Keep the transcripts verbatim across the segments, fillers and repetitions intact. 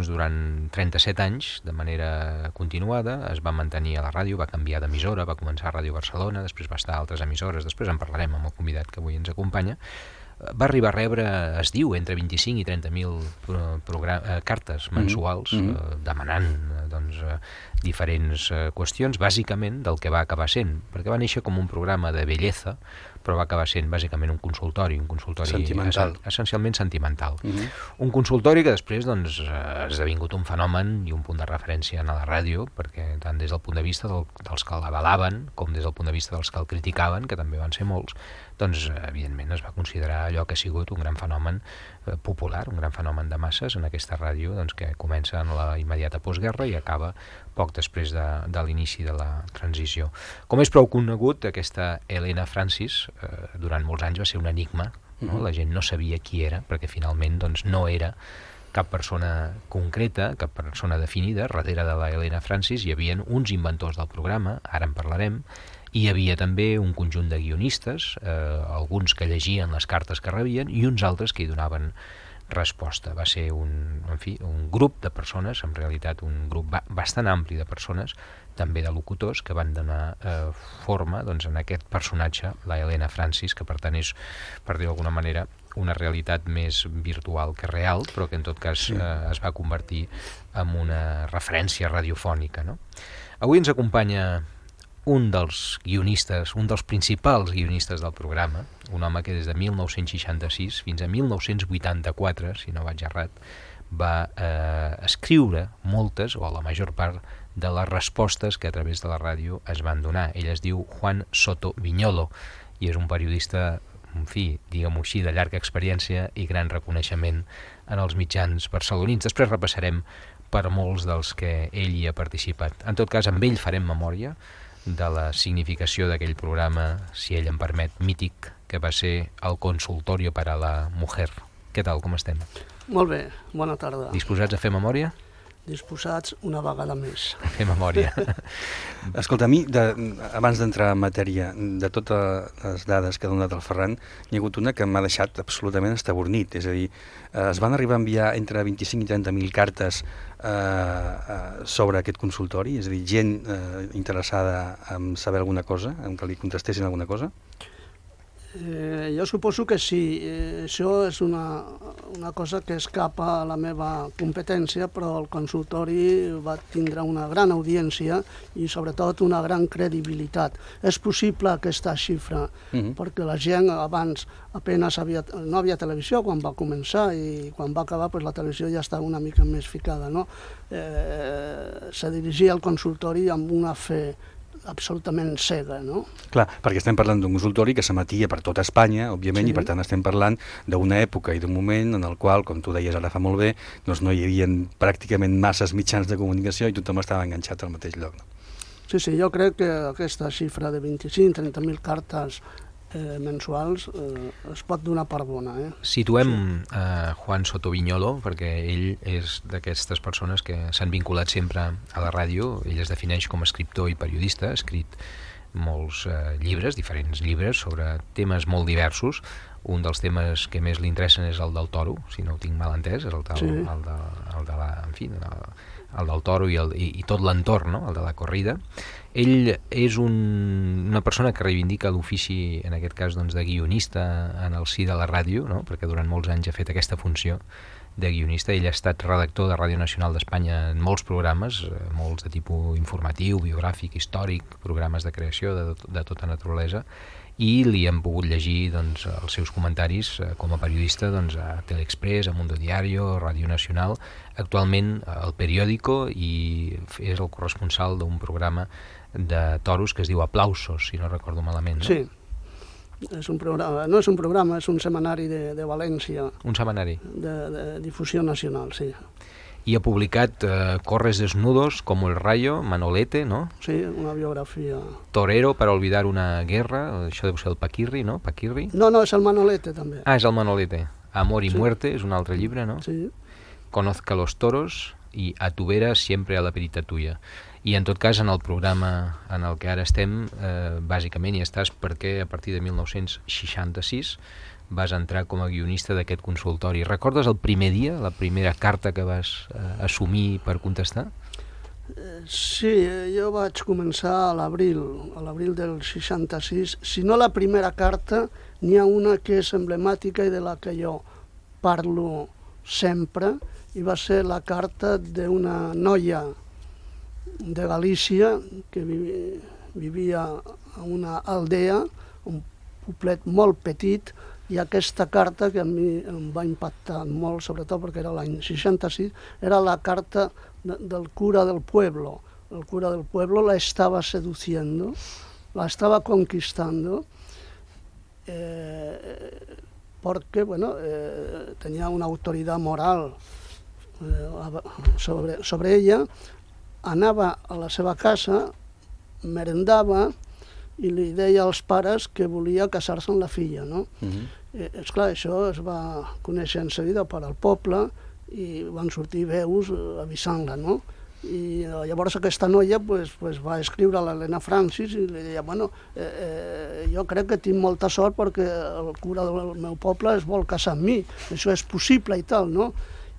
Durant trenta-set anys, de manera continuada, es va mantenir a la ràdio, va canviar d'emissora, va començar a Ràdio Barcelona, després va estar a altres emissores, després en parlarem amb el convidat que avui ens acompanya. Va arribar a rebre, es diu, entre vint-i-cinc i trenta mil eh, cartes mensuals mm -hmm. eh, demanant doncs, eh, diferents eh, qüestions, bàsicament del que va acabar sent, perquè va néixer com un programa de bellesa, però va acabar sent bàsicament un consultori, un consultori sentimental. Es, essencialment sentimental. Uh -huh. Un consultori que després doncs, ha esdevingut un fenomen i un punt de referència en la ràdio, perquè tant des del punt de vista del, dels que l'avalaven com des del punt de vista dels que el criticaven, que també van ser molts, doncs evidentment es va considerar allò que ha sigut un gran fenomen eh, popular, un gran fenomen de masses en aquesta ràdio doncs, que comença en la immediata postguerra i acaba poc després de, de l'inici de la transició. Com és prou conegut, aquesta Helena Francis eh, durant molts anys va ser un enigma, no? Uh-huh. La gent no sabia qui era, perquè finalment doncs, no era cap persona concreta, cap persona definida. Darrere de la Helena Francis hi havia uns inventors del programa, ara en parlarem, i hi havia també un conjunt de guionistes, eh, alguns que llegien les cartes que rebien i uns altres que hi donaven resposta. Va ser un, en fi, un grup de persones, en realitat un grup ba bastant ampli de persones, també de locutors, que van donar eh, forma doncs, en aquest personatge, la Helena Francis, que per tant és, per dir d'alguna manera, una realitat més virtual que real, però que en tot cas eh, es va convertir en una referència radiofònica, no? Avui ens acompanya un dels guionistes, un dels principals guionistes del programa, un home que des de mil nou-cents seixanta-sis fins a mil nou-cents vuitanta-quatre, si no vaig errat, va eh, escriure moltes, o la major part, de les respostes que a través de la ràdio es van donar. Ell es diu Juan Soto Viñolo i és un periodista, en fi, diguem-ho així, de llarga experiència i gran reconeixement en els mitjans barcelonins. Després repassarem per molts dels que ell hi ha participat. En tot cas, amb ell farem memòria de la significació d'aquell programa, si ell em permet, mític, que va ser el Consultorio para la Mujer. Què tal, com estem? Molt bé, bona tarda. Disposats a fer memòria? Disposats una vegada més. A fer memòria. Escolta, a mi, de, abans d'entrar en matèria, de totes les dades que ha donat el Ferran, hi ha hagut una que m'ha deixat absolutament estabornit. És a dir, eh, es van arribar a enviar entre vint-i-cinc i trenta mil cartes eh, eh, sobre aquest consultori? És a dir, gent eh, interessada en saber alguna cosa, en que li contestessin alguna cosa? Eh, jo suposo que sí. Eh, això és una, una cosa que escapa a la meva competència, però el consultori va tindre una gran audiència i sobretot una gran credibilitat. És possible aquesta xifra, uh-huh. perquè la gent abans apenas havia, no havia televisió quan va començar i quan va acabar pues, la televisió ja estava una mica més ficada, no? Eh, se dirigia al consultori amb una fe absolutament cega, no? Clar, perquè estem parlant d'un consultori que s'emetia per tota Espanya, òbviament, sí. I per tant estem parlant d'una època i d'un moment en el qual, com tu deies ara fa molt bé, doncs no hi havia pràcticament masses mitjans de comunicació i tothom estava enganxat al mateix lloc. No? Sí, sí, jo crec que aquesta xifra de vint-i-cinc a trenta mil cartes eh, mensuals eh, es pot donar per bona. Eh? Situem sí. eh, Juan Soto Viñolo, perquè ell és d'aquestes persones que s'han vinculat sempre a la ràdio. Ell es defineix com a escriptor i periodista, ha escrit molts eh, llibres, diferents llibres, sobre temes molt diversos. Un dels temes que més li interessen és el del toro, si no ho tinc mal entès, és el, del, sí. el, de, el de la... En fi, el, el del toro i, el, i, i tot l'entorn, no? El de la corrida. Ell és un, una persona que reivindica l'ofici, en aquest cas, doncs, de guionista en el si de la ràdio, no? Perquè durant molts anys ha fet aquesta funció de guionista. Ell ha estat redactor de Ràdio Nacional d'Espanya en molts programes, molts de tipus informatiu, biogràfic, històric, programes de creació de, de tota naturalesa, i li hem pogut llegir doncs, els seus comentaris eh, com a periodista doncs, a Teleexpress, a Mundo Diario, Ràdio Nacional, actualment al Periódico, i és el corresponsal d'un programa de toros que es diu Aplausos, si no recordo malament. No? Sí, és un programa, no és un programa, és un setmanari de, de València. Un setmanari. De, de difusió nacional, sí. I ha publicat eh, Corres desnudos, como el rayo, Manolete, no? Sí, una biografia. Torero para olvidar una guerra, això deu ser el Paquirri, no? Paquirri? No, no, és el Manolete, també. Ah, és el Manolete. Amor y sí. muerte, és un altre llibre, no? Sí. Conozca los toros i a tu vera siempre a la perita tuya. I en tot cas, en el programa en el que ara estem, eh, bàsicament hi estàs perquè a partir de mil nou-cents seixanta-sis vas entrar com a guionista d'aquest consultori. Recordes el primer dia, la primera carta que vas eh, assumir per contestar? Sí, jo vaig començar a l'abril, a l'abril del seixanta-sis. Si no la primera carta, n'hi ha una que és emblemàtica i de la que jo parlo sempre, i va ser la carta d'una noia de Galícia que vivia a una aldea, un poblet molt petit, i aquesta carta, que a mi em va impactar molt, sobretot perquè era l'any seixanta-sis, era la carta de, del cura del pueblo. El cura del pueblo la estaba seduciendo, la estaba conquistando, eh, porque bueno, eh, tenía una autoridad moral eh, sobre, sobre ella, anava a la seva casa, merendava, i li deia als pares que volia casar-se amb la filla, no? Uh-huh. eh, esclar, això es va conèixer en seguida per al poble i van sortir veus avisant-la, no? I llavors aquesta noia pues, pues, va escriure a l'Helena Francis i li deia, bueno, eh, eh, jo crec que tinc molta sort perquè el cura del meu poble es vol casar amb mi, això és possible i tal, no?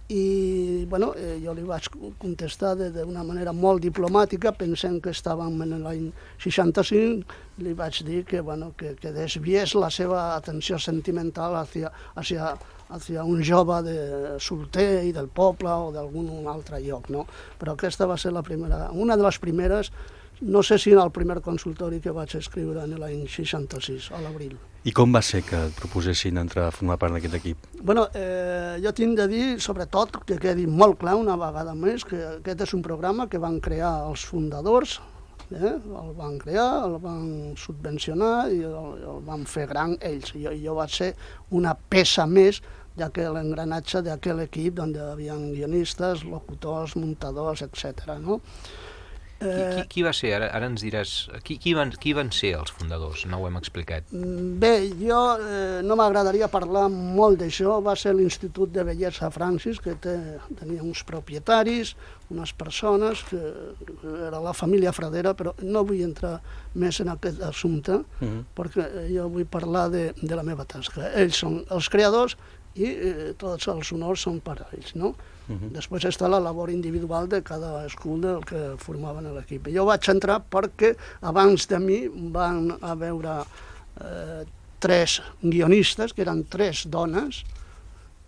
I bueno, eh, jo li vaig contestar d'una manera molt diplomàtica, pensant que estàvem en l'any seixanta-cinc, li vaig dir que, bueno, que, que desviés la seva atenció sentimental hacia, hacia, hacia un jove de solter i del poble o d'algun altre lloc, no? Però aquesta va ser la primera, una de les primeres, no sé si en el primer consultori que vaig escriure en l'any seixanta-sis, a l'abril. I com va ser que et proposessin entrar a formar part d'aquest equip? Bueno, eh, jo tinc de dir, sobretot, que quedi molt clar una vegada més, que aquest és un programa que van crear els fundadors, eh? el van crear, el van subvencionar i el, el van fer gran ells. Jo, jo vaig ser una peça més d'aquell engranatge d'aquell equip on hi havia guionistes, locutors, muntadors, etcètera, no? Qui, qui, qui va ser? Ara, ara ens diràs... Qui, qui, van, qui van ser els fundadors? No ho hem explicat. Bé, jo eh, no m'agradaria parlar molt d'això. Va ser l'Institut de Bellesa Francis, que té, tenia uns propietaris, unes persones, que era la família Fradera, però no vull entrar més en aquest assumpte, uh-huh. perquè jo vull parlar de, de la meva tasca. Ells són els creadors i eh, tots els honors són per a ells, no? Uh-huh. Després està la labor individual de cada escola del que formaven l'equip. Jo vaig entrar perquè abans de mi van a veure eh, tres guionistes, que eren tres dones,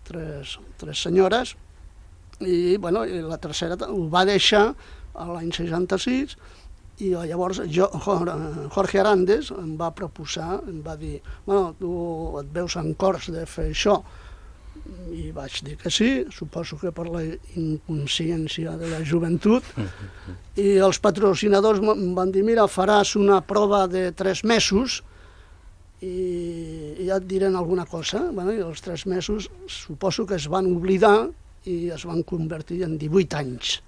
tres, tres senyores, i, bueno, i la tercera ho va deixar a l'any seixanta-sis, i llavors jo, Jorge Arandes em va proposar, em va dir, bueno, tu et veus en cors de fer això, i vaig dir que sí, suposo que per la inconsciència de la joventut, i els patrocinadors em van dir, mira, faràs una prova de tres mesos i, i ja et diran alguna cosa. Bueno, i els tres mesos suposo que es van oblidar i es van convertir en divuit anys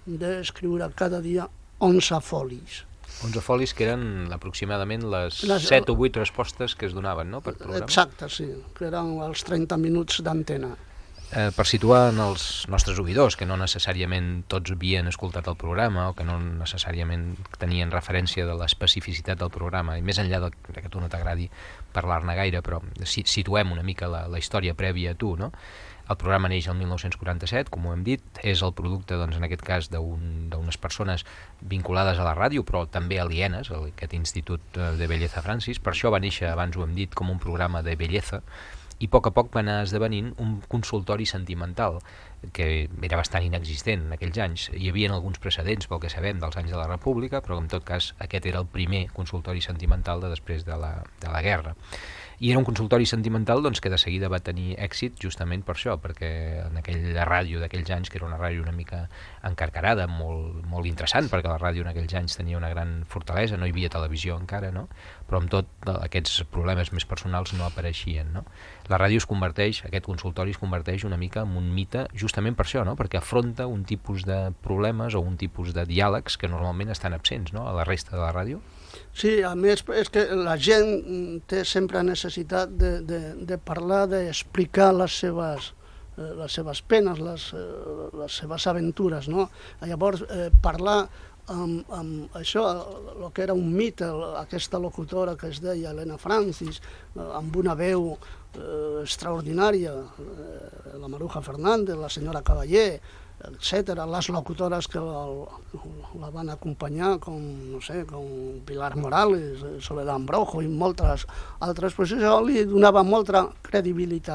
d'escriure cada dia onze folis. onze folis que eren aproximadament les, les set o vuit respostes que es donaven, no?, per programa. Exacte, sí, que eren els trenta minuts d'antena. Eh, per situar en els nostres oïdors, que no necessàriament tots havien escoltat el programa o que no necessàriament tenien referència de l'especificitat del programa, i més enllà de, de que tu no t'agradi parlar-ne gaire, però si, situem una mica la, la història prèvia a tu, no? El programa neix el mil nou-cents quaranta-set, com ho hem dit, és el producte, doncs, en aquest cas, d'unes persones vinculades a la ràdio, però també alienes, a aquest Institut de Bellesa Francis. Per això va néixer, abans ho hem dit, com un programa de bellesa, i a poc a poc va anar esdevenint un consultori sentimental, que era bastant inexistent en aquells anys. Hi havia alguns precedents, pel que sabem, dels anys de la República, però en tot cas aquest era el primer consultori sentimental de després de la, de la guerra. I era un consultori sentimental, doncs, que de seguida va tenir èxit justament per això, perquè en aquella ràdio d'aquells anys, que era una ràdio una mica encarcarada, molt, molt interessant, perquè la ràdio en aquells anys tenia una gran fortalesa, no hi havia televisió encara, no? Però amb tot aquests problemes més personals no apareixien, no? La ràdio es converteix, aquest consultori es converteix una mica en un mite justament per això, no? Perquè afronta un tipus de problemes o un tipus de diàlegs que normalment estan absents, no?, a la resta de la ràdio. Sí, a més és que la gent té sempre necessitat de, de, de parlar, d'explicar les seves, les seves penes, les, les seves aventures, no? Llavors, eh, parlar amb, amb això, el que era un mite, aquesta locutora que es deia Helena Francis, amb una veu eh, extraordinària, eh, la Maruja Fernández, la senyora Cavallé, etcètera, les locutores que la, la van acompanyar, com, no sé, com Pilar Morales, Soledad Ambrojo i moltes altres, pues això li donava molta credibilitat.